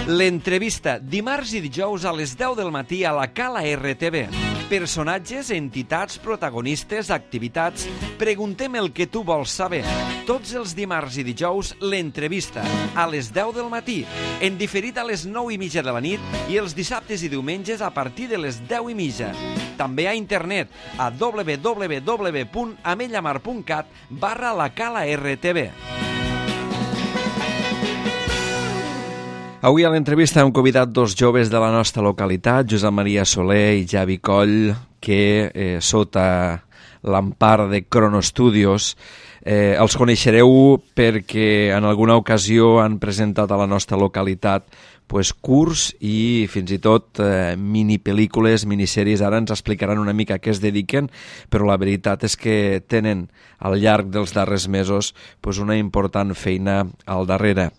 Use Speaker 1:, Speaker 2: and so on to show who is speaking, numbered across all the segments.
Speaker 1: L'entrevista, dimarts i dijous a les 10 del matí a la Cala RTV. Personatges, entitats, protagonistes, activitats... Preguntem el que tu vols saber. Tots els dimarts i dijous, l'entrevista, a les 10 del matí. En diferit a les 9:30 de la nit i els dissabtes i diumenges a partir de les 10:30. També a internet a www.amellamar.cat/la Cala RTV. Avui a l'entrevista hem convidat dos joves de la nostra localitat, Josep Maria Soler i Javi Coll, que sota l'empara de Cronostudios els coneixereu perquè en alguna ocasió han presentat a la nostra localitat curs i fins i tot minipel·lícules, minissèries. Ara ens explicaran una mica a què es dediquen, però la veritat és que tenen al llarg dels darrers mesos una important feina al darrere.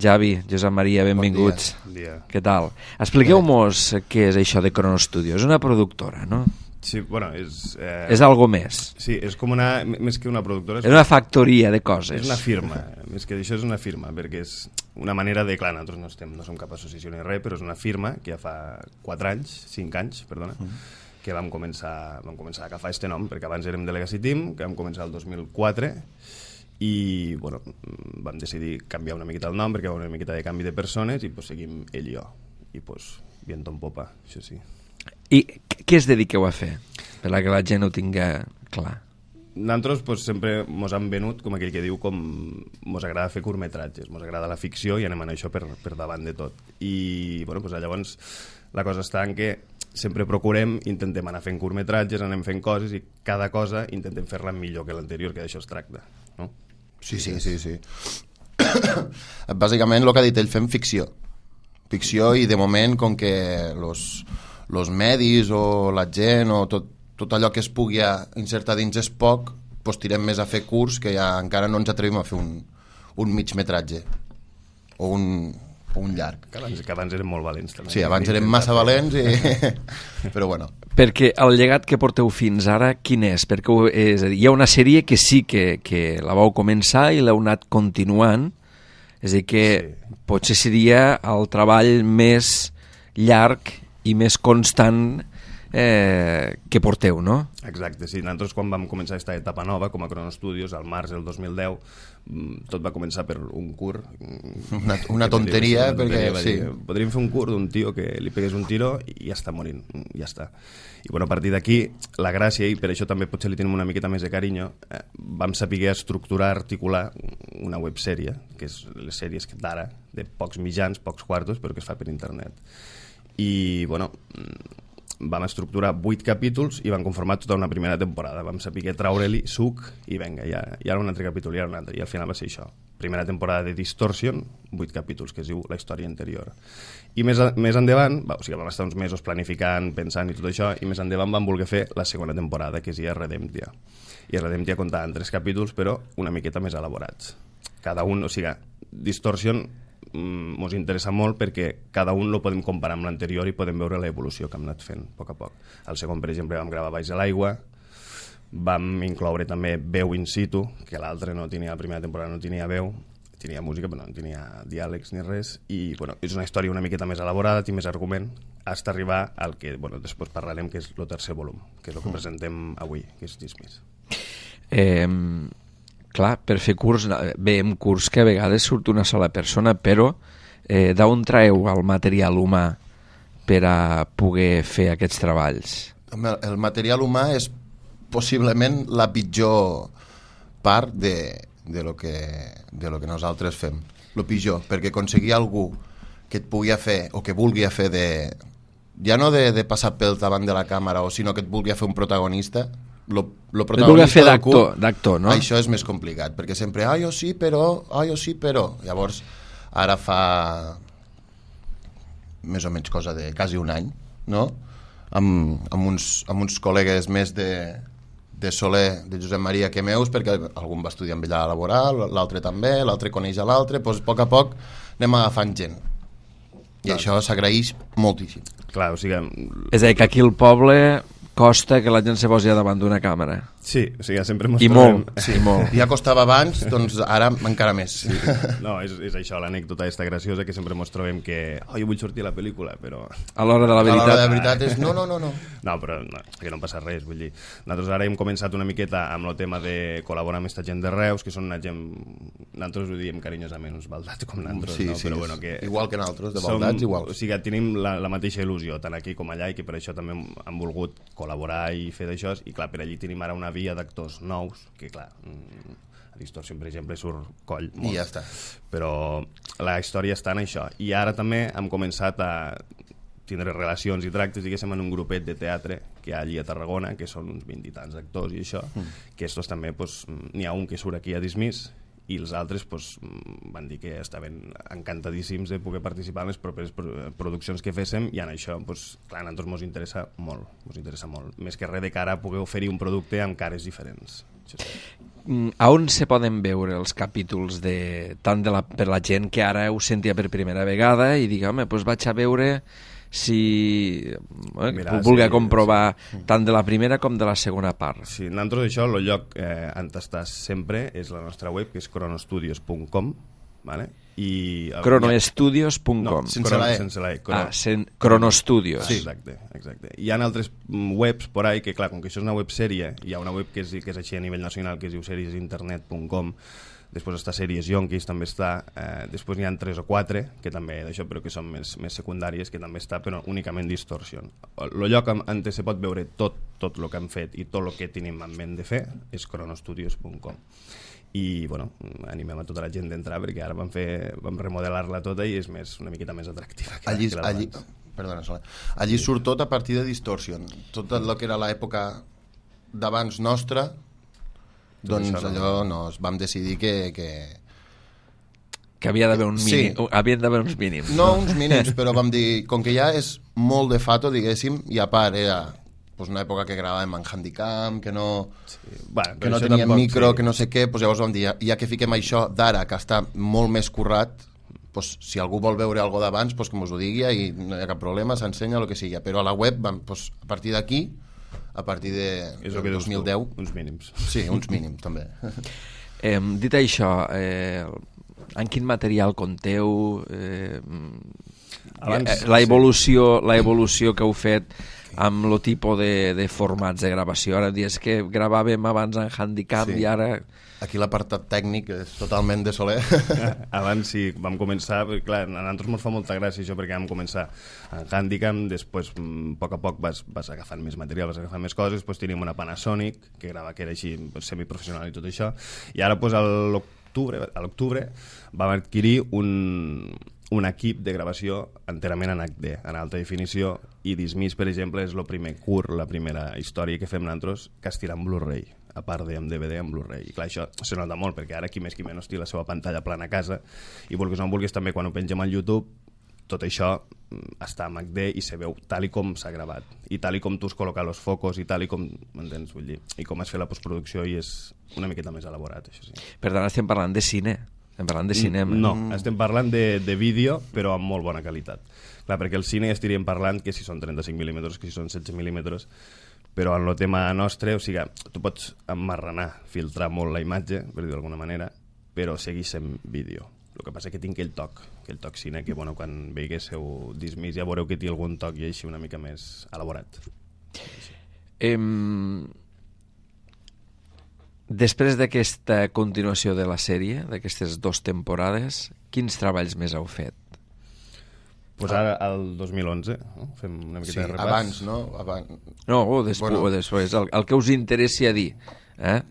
Speaker 1: Javi, Josep Maria, benvinguts.
Speaker 2: Bon dia.
Speaker 1: Què tal? Expliqueu-mos què és això de Cronostudios. És una productora, no?
Speaker 2: Sí, bueno, és...
Speaker 1: És algo més.
Speaker 2: Sí, és com una... Més que una productora...
Speaker 1: És una factoria de coses.
Speaker 2: És una firma. Més que això és una firma, perquè és una manera de... Clar, nosaltres no som cap associació ni res, però és una firma que ja fa 5 anys, que vam començar a agafar aquest nom, perquè abans érem Delegacy Team, que vam començar el 2004, i bueno, vam decidir canviar una miqueta el nom perquè hi va una miqueta de canvi de persones i seguim ell i jo i viento en popa, això sí.
Speaker 1: I què es dediqueu a fer? Per la que la gent ho tinga clar.
Speaker 2: Nosaltres sempre mos han venut, com aquell que diu, com mos agrada fer curtmetratges, mos agrada la ficció i anem a això per davant de tot. I bueno, llavors la cosa està en que sempre procurem, intentem anar fent curtmetratges, anem fent coses i cada cosa intentem fer-la millor que l'anterior, que d'això es tracta, no?
Speaker 3: Sí. Bàsicament el que ha dit ell, fem ficció i de moment com que los medis o la gent o tot allò que es pugui insertar dins és poc, tirem més a fer curts, que ja encara no ens atrevim a fer un mig metratge o un llarg.
Speaker 2: Que abans érem molt valents també.
Speaker 3: Sí, abans érem massa valents però bueno.
Speaker 1: Perquè el llegat que porteu fins ara, quin és? Perquè és a dir, hi ha una sèrie que sí que la vau començar i l'heu anat continuant, és a dir que potser seria el treball més llarg i més constant que porteu, no?
Speaker 2: Exacte, sí. Nosaltres quan vam començar aquesta etapa nova com a Cronostudios, al març del 2010, tot va començar per un curt.
Speaker 3: Una tonteria, perquè sí.
Speaker 2: Podríem fer un curt d'un tio que li pegués un tiro i ja està morint, ja està. I bueno, a partir d'aquí, la gràcia, i per això també potser li tenim una miqueta més de carinyo, vam saber estructurar, articular una websèrie, que és les sèries d'ara, de pocs mitjans, pocs quartos, però que es fa per internet. I bueno, vam estructurar 8 capítols i vam conformar tota una primera temporada. Vam saber traure-li suc i vinga, i ara un altre capítol, i ara un altre, i al final va ser això. Primera temporada de Distortion, 8 capítols, que es diu La història interior. I més endavant, vam estar uns mesos planificant, pensant i tot això, i més endavant vam voler fer la segona temporada, que es deia Redemptia. I Redemptia comptava en 3 capítols, però una miqueta més elaborats. Cada un, Distortion ens interessa molt perquè cada un lo podem comparar amb l'anterior i podem veure l'evolució que hem anat fent a poc a poc. El segon, per exemple, vam gravar baix de l'aigua, vam incloure també veu in situ, que l'altre no tenia, la primera temporada no tenia veu, tenia música però no tenia diàlegs ni res, i bueno, és una història una miqueta més elaborada, té més argument, fins a arribar al que després parlarem, que és el tercer volum, que és el que presentem avui, que és Dismiss.
Speaker 1: Clar, per fer curs, veiem curs que a vegades surt una sola persona, però d'on traeu el material humà per a poder fer aquests treballs?
Speaker 3: El material humà és possiblement la pitjor part de lo que nosaltres fem. Lo pitjor, perquè aconseguir algú que et pugui fer o que vulgui fer ja no de passar pel davant de la càmera, sinó que et vulgui fer un protagonista, lo protagonista del curt,
Speaker 1: d'actor, no?
Speaker 3: Això és més complicat, perquè sempre jo sí, però llavors ara fa més o menys cosa de quasi un any, no? amb uns col·legues més de Soler, de Josep Maria, que meus, perquè algun va estudiar amb ella laboral, l'altre també, l'altre coneix a l'altre, doncs a poc anem agafant gent, i això s'agraeix moltíssim.
Speaker 2: Clar,
Speaker 1: és a dir, que aquí al poble costa que la gent se posi davant d'una càmera.
Speaker 2: Sí, o sigui, sempre mos
Speaker 1: I
Speaker 2: trobem...
Speaker 1: molt, sí, molt.
Speaker 3: Ja costava abans, doncs ara encara més.
Speaker 2: Sí. No, és això, l'anècdota està graciosa, que sempre mos trobem que jo vull sortir a la pel·lícula, però...
Speaker 1: A l'hora de la
Speaker 3: A l'hora
Speaker 1: veritat...
Speaker 3: de veritat és no.
Speaker 2: No, però no, que no passa res, vull dir. Nosaltres ara hem començat una miqueta amb el tema de col·laborar amb aquesta gent de Reus, que són una gent... Nosaltres ho diem carinyosament, uns baldats com nosaltres,
Speaker 3: sí,
Speaker 2: no?
Speaker 3: sí,
Speaker 2: Però bueno, que...
Speaker 3: igual que nosaltres, de baldats, igual.
Speaker 2: O sigui, tenim la mateixa il·lusió, tant aquí com allà, i que per això també hem volgut col·laborar i fer d'això, i clar, per allí tenim ara una via d'actors nous, que clar, a Distorsion, per exemple, surt coll molt.
Speaker 3: I ja està.
Speaker 2: Però la història està en això. I ara també hem començat a tindre relacions i tractes, diguéssim, en un grupet de teatre que hi ha allí a Tarragona, que són uns 20 i tants actors i això, que estos també, pues, n'hi ha un que surt aquí a Dismiss, i els altres pues, van dir que estaven encantadíssims de poder participar en les properes produccions que féssim, i en això, pues, clar, a nosaltres mos interessa molt, més que res de cara a poder oferir un producte amb cares diferents.
Speaker 1: A on se poden veure els capítols tant per la gent que ara ho sentia per primera vegada i digui, home, doncs vaig a veure si vulgui comprovar tant de la primera com de la segona part.
Speaker 2: Sí, nosaltres això, el lloc on estàs sempre és la nostra web, que és cronostudios.com, ¿vale?
Speaker 1: Cronoestudios.com.
Speaker 3: No, sense la E.
Speaker 2: Sense la E.
Speaker 1: Cronostudios.
Speaker 2: Sí. Exacte. Hi ha altres webs por ahí que, clar, com que això és una websèrie, hi ha una web que és així a nivell nacional, que es diu seriesinternet.com, després està Sèries Yonkis, també està, després n'hi ha 3 o 4 que també d'això, però que són més secundàries, que també està, però únicament Distortion. El lloc on se pot veure tot el que han fet i tot el que tenim en ment de fer és cronostudios.com. I bueno, animem a tota la gent d'entrar, perquè ara vam remodelar-la tota i és una miqueta més atractiva que
Speaker 3: allí surt tot a partir de Distortion, tot el que era l'època d'abans nostra, doncs allò vam decidir que
Speaker 1: havia d'haver havien d'haver uns mínims.
Speaker 3: No uns mínims, però vam dir, com que ja és molt de fato, diguéssim, i a part era una època que gravàvem en Handicam, que no teníem micro, que no sé què, llavors vam dir, ja que fiquem això d'ara, que està molt més currat, si algú vol veure alguna d'abans, que mos ho digui i no hi ha cap problema, s'ensenya el que sigui. Però a la web, a partir d'aquí, a partir de 2010...
Speaker 2: Uns mínims.
Speaker 3: Sí, uns mínims, també.
Speaker 1: Dit això, en quin material compteu? L'evolució que heu fet amb el tipus de formats de gravació. Ara dius que gravàvem abans en Handicam i ara...
Speaker 3: Aquí l'apartat tècnic és totalment de Soler.
Speaker 2: Abans sí, vam començar, perquè clar, a nosaltres ens fa molta gràcia això, perquè vam començar en Handicam, després a poc vas agafant més material, vas agafant més coses, després teníem una Panasonic, que era així semiprofessional i tot això, i ara a l'octubre vam adquirir un equip de gravació enterament en HD, en alta definició, i Dismiss, per exemple, és el primer curt, la primera història que fem nosaltres que es tira en Blu-ray, a part de DVD en Blu-ray. I clar, això se nota molt, perquè ara qui més qui menys té la seva pantalla plana a casa, i vulguis o no vulguis també quan ho pengem al YouTube, tot això està en HD i se veu tal i com s'ha gravat, i tal i com tu has col·locat els focus, i tal i com, m'entens, vull dir, i com has fet la postproducció, i és una miqueta més elaborat, això sí.
Speaker 1: Per tant, estem parlant de cine. Estem parlant de cinema.
Speaker 2: No, estem parlant de vídeo, però amb molt bona qualitat. Clar, perquè el cine ja estaríem parlant que si són 35 mm, que si són 16 mm, però en el tema nostre, o sigui, tu pots emmarranar, filtrar molt la imatge, per dir d'alguna manera, però segueix sent vídeo. El que passa és que tinc aquell toc cine, que bueno, quan veiguéssiu Dismiss ja veureu que té algun toc i així una mica més elaborat.
Speaker 1: Després d'aquesta continuació de la sèrie, d'aquestes 2 temporades, quins treballs més heu fet?
Speaker 2: Pues ara, el 2011, no? Fem una miqueta de repàs.
Speaker 3: Abans, no?
Speaker 1: No, o després, el que us interessi a dir.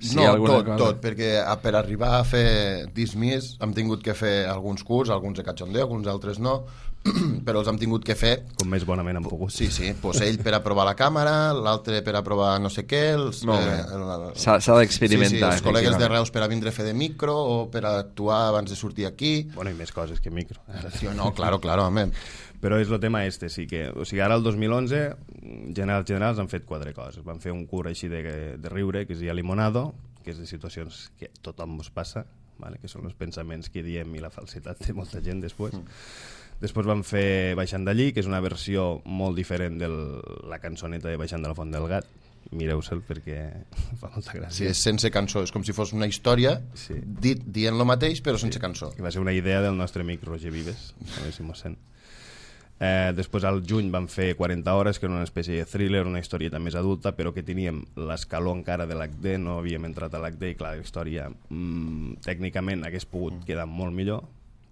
Speaker 1: Si
Speaker 3: no, tot, perquè per arribar a fer Dismiss hem tingut que fer alguns curts, alguns de cachondeo, alguns altres no, però els hem tingut que fer...
Speaker 2: Com més bonament hem pogut.
Speaker 3: Sí, ell per a provar la càmera, l'altre per a provar no sé què...
Speaker 1: S'ha d'experimentar.
Speaker 3: Els col·legues de Reus per a vindre a fer de micro o per a actuar abans de sortir aquí...
Speaker 2: Bueno, i més coses que micro.
Speaker 3: No, claro, home.
Speaker 2: Però és el tema sí que... O sigui, ara el 2011, generals han fet 4 coses. Van fer un curt així de riure, que es deia Limonado, que és de situacions que tothom ens passa, vale? Que són els pensaments que diem i la falsitat de molta gent després. Després van fer Baixant d'allí, que és una versió molt diferent de la cançoneta de Baixant de la Font del Gat, mireu-se'l perquè fa molta gràcia.
Speaker 3: Sí, és sense cançó, és com si fos una història dient lo mateix però sense cançó.
Speaker 2: I va ser una idea del nostre amic Roger Vives, a veure si mos sent. Després al juny vam fer 40 hores, que era una espècie de thriller, una historieta més adulta, però que teníem l'escaló encara de l'HD, no havíem entrat a l'HD, i clar, la història tècnicament hagués pogut quedar molt millor,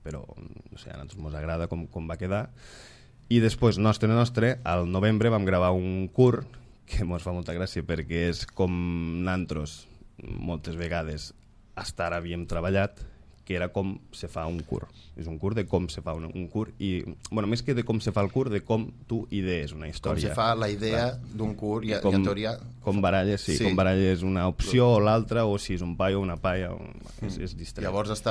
Speaker 2: però no sé, a nosaltres ens agrada com va quedar. I després, nostre, al novembre vam gravar un curt que ens fa molta gràcia perquè és com nosaltres moltes vegades hasta ara havíem treballat, que era com se fa un curt. És un curt de com se fa un curt i, bueno, més que de com se fa el curt, de com tu idees una història.
Speaker 3: Com se fa la idea d'un curt i en teoria...
Speaker 2: Com baralles, com baralles una opció o l'altra, o si és un paio o una paia, és distret.
Speaker 3: Llavors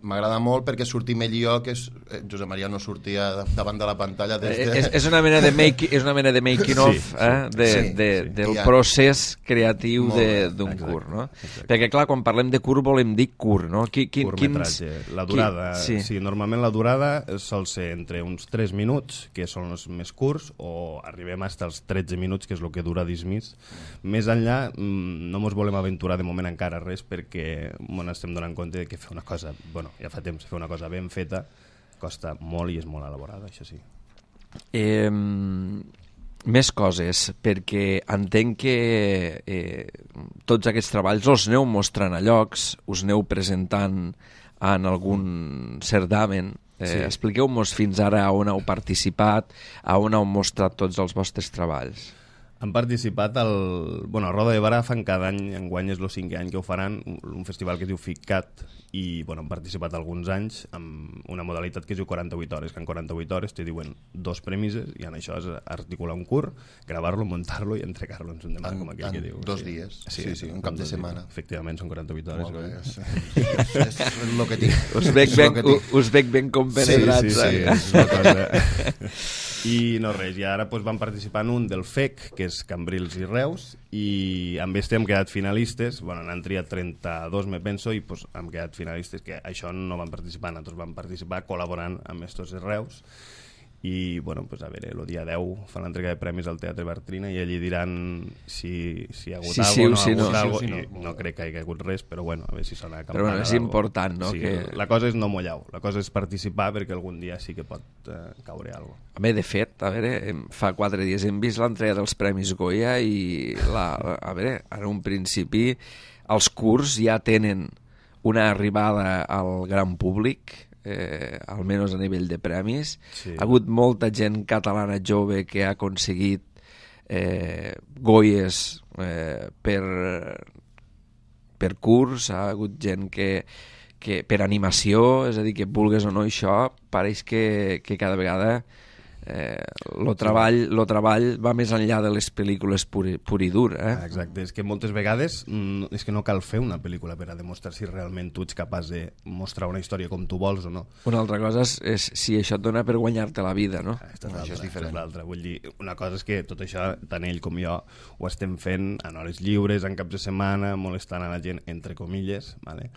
Speaker 3: m'agrada molt perquè sortim ell i jo, que Josep Maria no sortia davant de la pantalla
Speaker 1: és una mena de making of del procés creatiu d'un curt, no? Perquè clar, quan parlem de curt volem dir curt, no?
Speaker 2: Curtmetratge, la durada, sí, normalment la durada sol ser entre uns 3 minuts, que són els més curts, o arribem fins als 13 minuts, que és el que dura Dismiss. Més enllà no ens volem aventurar de moment encara res, perquè ens estem donant compte que fer una cosa, bueno, ja fa temps, fer una cosa ben feta costa molt i és molt elaborada, això sí.
Speaker 1: Més coses, perquè entenc que tots aquests treballs els aneu mostrant a llocs, us aneu presentant en algun certamen. Expliqueu-nos fins ara on heu participat, on heu mostrat tots els vostres treballs.
Speaker 2: Han participat a Roda de Barà, fan cada any, enguany és el 5è any que ho faran, un festival que es diu FICCAT, i han participat alguns anys amb una modalitat que es diu 48 hores, que en 48 hores te diuen 2 premisses, i en això és articular un curt, gravar-lo, muntar-lo i entregar-lo en un demà, com aquell que diu.
Speaker 3: 2 dies, sí, un cap de setmana.
Speaker 2: Efectivament, són 48 hores.
Speaker 3: Molt bé, és el que tinc.
Speaker 1: Us veig ben compenetrats.
Speaker 2: Sí, és una cosa... I no res, i ara van participar en un del FEC, que és Cambrils i Reus, i amb este hem quedat finalistes, n'han triat 32, me penso, i hem quedat finalistes, que això no van participar, nosaltres vam participar col·laborant amb estos de Reus, i a veure, el dia 10 fan l'entrega de premis al Teatre Bartrina i allí diran si hi ha hagut alguna cosa, no crec que hi hagi hagut res, però a veure si sona campana.
Speaker 1: Però és important, no?
Speaker 2: Sí, la cosa és no mollar, la cosa és participar perquè algun dia sí que pot caure alguna cosa.
Speaker 1: A veure, de fet, fa 4 dies hem vist l'entrega dels Premis Goya i en un principi els curts ja tenen una arribada al gran públic, almenys a nivell de premis. Ha hagut molta gent catalana jove que ha aconseguit Goyes per curs, ha hagut gent que per animació, és a dir, que vulgues o no, això pareix que cada vegada el treball va més enllà de les pel·lícules pur i dur.
Speaker 2: Exacte, és que moltes vegades és que no cal fer una pel·lícula per a demostrar si realment tu ets capaç de mostrar una història com tu vols o no.
Speaker 1: Una altra cosa és si això et dona per guanyar-te la vida, no?
Speaker 3: Això és diferent.
Speaker 2: Vull dir, una cosa és que tot això, tant ell com jo, ho estem fent en hores lliures, en caps de setmana, molestant a la gent, entre comilles, ¿vale?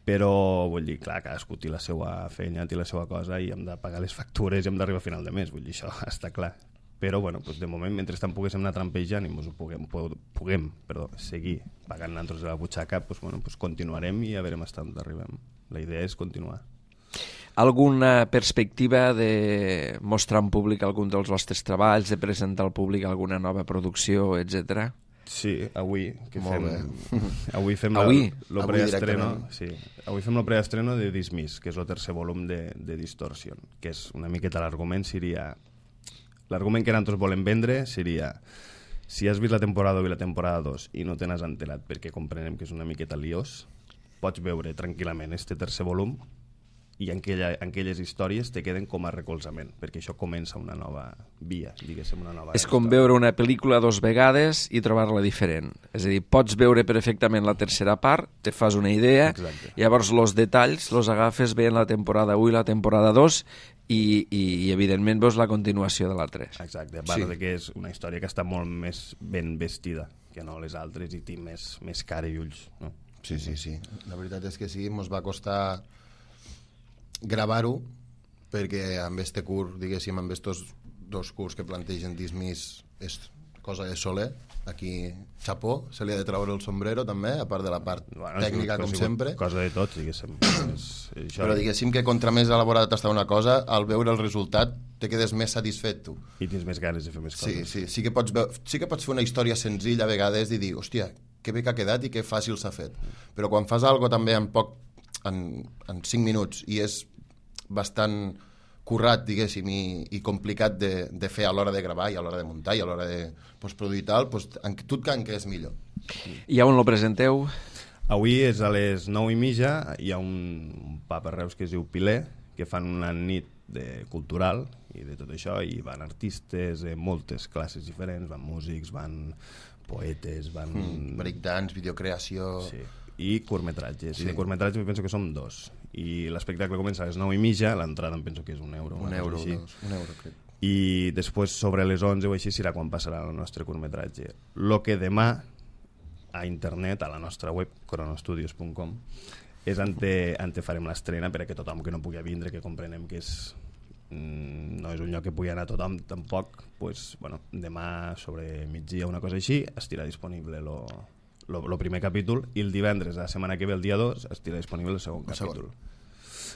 Speaker 2: Però, vull dir, clar, cadascú té la seva feina, té la seva cosa i hem de pagar les factures i hem d'arribar a final de mes, vull dir, això està clar. Però, de moment, mentrestant poguéssim anar trampejant i ens ho puguem seguir pagant nosaltres de la butxaca, continuarem i a veure fins on arribem. La idea és continuar.
Speaker 1: Alguna perspectiva de mostrar en públic algun dels vostres treballs, de presentar al públic alguna nova producció, etc.?
Speaker 2: Sí, avui fem el preestreno de Dismiss, que és el 3è volum de Distortion, que és una miqueta l'argument seria... L'argument que nosaltres volem vendre seria: si has vist la temporada 1 i la temporada 2 i no te n'has enterat perquè comprenem que és una miqueta liós, pots veure tranquil·lament este 3è volum i en aquelles històries te queden com a recolzament, perquè això comença una nova via, diguéssim, una nova
Speaker 1: És com veure una pel·lícula 2 vegades i trobar-la diferent. És a dir, pots veure perfectament la tercera part, te fas una idea, llavors els detalls els agafes veient la temporada 1 i la temporada 2 i evidentment veus la continuació de la 3.
Speaker 2: Exacte, a part de que és una història que està molt més ben vestida que no les altres i té més cara i ulls, no?
Speaker 3: Sí. La veritat és que sí, ens va costar gravar-ho perquè amb este curt, diguéssim, amb estos 2 curts que plantegen Dismiss és cosa de Soler, aquí xapó, se li ha de treure el sombrero també, a part de la part tècnica com sempre,
Speaker 2: cosa de tots, diguéssim.
Speaker 3: però diguéssim que contra més elaborat està una cosa, al veure el resultat te quedes més satisfet tu.
Speaker 2: I tens més ganes de fer més coses.
Speaker 3: Sí que pots fer una història senzilla a vegades i dir, hòstia, que bé que ha quedat i que fàcil s'ha fet, però quan fas alguna també en 5 minuts i és bastant currat, diguéssim, i complicat de fer a l'hora de gravar i a l'hora de muntar i a l'hora de postproduir i tal, doncs, tu et que és millor.
Speaker 1: I on lo presenteu?
Speaker 2: Avui és a les 9:30, hi ha un pub a Reus que es diu Piler, que fan una nit cultural i de tot això, i van artistes de moltes classes diferents, van músics, van poetes, van...
Speaker 3: breakdance, videocreació...
Speaker 2: Sí. I curtmetratges, i de curtmetratges penso que som 2, i l'espectacle comença a les 9:30, l'entrada em penso que és €1,
Speaker 3: un euro crec.
Speaker 2: I després sobre les 11 o així serà quan passarà el nostre curtmetratge. Lo que demà a internet, a la nostra web cronostudios.com, és on farem l'estrena perquè tothom que no pugui vindre, que comprenem que no és un lloc que pugui anar tothom tampoc, pues, bueno, demà sobre migdia, una cosa així, estirà disponible el primer capítol, i el divendres de la setmana que ve, el dia 2, estirà disponible el segon capítol.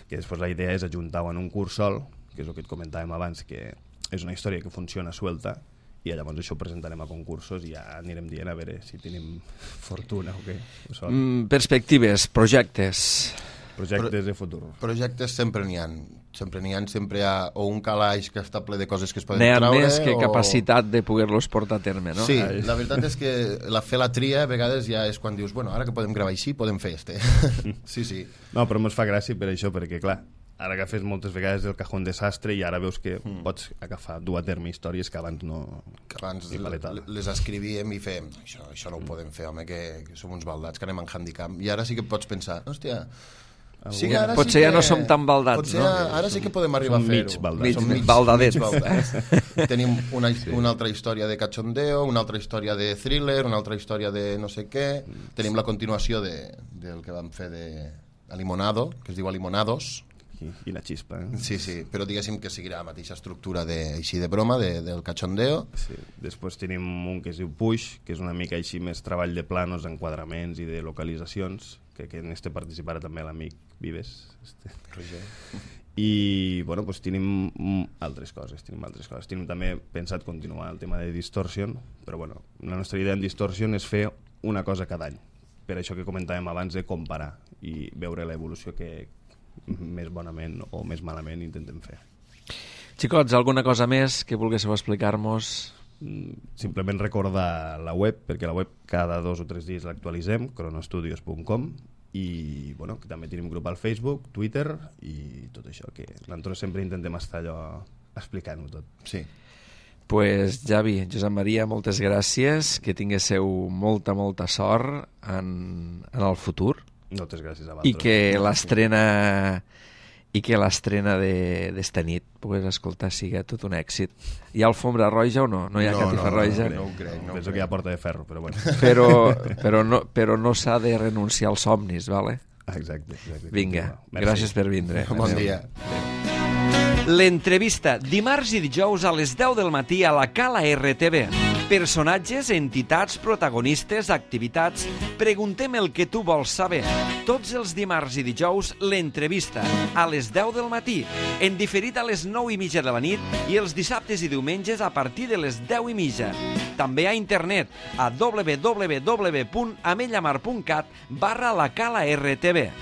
Speaker 2: Que després la idea és ajuntar-ho en un curs sol, que és el que et comentàvem abans, que és una història que funciona suelta, i llavors això ho presentarem a concursos i ja anirem dient a veure si tenim fortuna o què.
Speaker 1: Perspectives, projectes
Speaker 2: de futur.
Speaker 3: Projectes sempre n'hi ha. Sempre hi ha o un calaix que està ple de coses que es poden
Speaker 1: n'hi ha
Speaker 3: treure...
Speaker 1: més que capacitat de poder-los portar a terme, no?
Speaker 3: Sí, la veritat és que fer la tria a vegades ja és quan dius, bueno, ara que podem gravar així, podem fer este. Sí.
Speaker 2: No, però ens fa gràcia per això, perquè clar, ara agafes moltes vegades el cajón desastre i ara veus que pots agafar, dur a terme històries que abans no...
Speaker 3: Que abans les escrivíem i fèiem, això no ho podem fer, home, que som uns baldats, que anem en handicap. I ara sí que pots pensar, hòstia... Sí,
Speaker 1: potser ja no som tan baldats, no?
Speaker 3: Ara sí que podem arribar a fer-ho.
Speaker 2: Som
Speaker 1: mig baldadets.
Speaker 3: Tenim una altra història de cachondeo, una altra història de thriller, una altra història de no sé què. Tenim la continuació del que vam fer de Limonado, que es diu Limonados.
Speaker 2: I la xispa.
Speaker 3: Sí, però diguéssim que seguirà la mateixa estructura així de broma, del cachondeo.
Speaker 2: Sí. Després tenim un que es diu Push, que és una mica així més treball de planos, enquadraments i de localitzacions, que en este participarà també l'amic Vives. I bueno, pues tenim altres coses. Tenim també pensat continuar el tema de Distortion, però bueno, la nostra idea en Distortion és fer una cosa cada any. Per això que comentàvem abans de comparar i veure l'evolució que més bonament o més malament intentem fer.
Speaker 1: Xicots, alguna cosa més que volguéssiu explicar-nos?
Speaker 2: Simplement recordar la web, perquè la web cada 2 o 3 dies l'actualitzem, cronostudios.com, i bueno, que també tenim grup al Facebook, Twitter i tot això, que nosaltres sempre intentem estar allò explicant-ho tot.
Speaker 3: Sí.
Speaker 1: Pues Javi, Josep Maria, moltes gràcies, que tinguéssiu molta sort en el futur.
Speaker 2: Moltes gràcies a vosaltres.
Speaker 1: I que l'estrena d'esta nit pugues escoltar sigui tot un èxit. Hi ha alfombra roja o no? No hi ha catifa roja?
Speaker 3: No ho crec.
Speaker 2: Penso que hi ha porta de ferro, però bueno.
Speaker 1: Però no s'ha de renunciar als somnis, vale?
Speaker 2: Exacte.
Speaker 1: Vinga, gràcies per vindre.
Speaker 3: Bon dia.
Speaker 1: L'entrevista, dimarts i dijous a les 10 del matí a la Cala RTV. Personatges, entitats, protagonistes, activitats... Preguntem el que tu vols saber. Tots els dimarts i dijous, l'entrevista, a les 10 del matí, en diferit a les 9:30 de la nit i els dissabtes i diumenges a partir de les 10:30. També a internet, a www.amellamar.cat/la Cala RTV.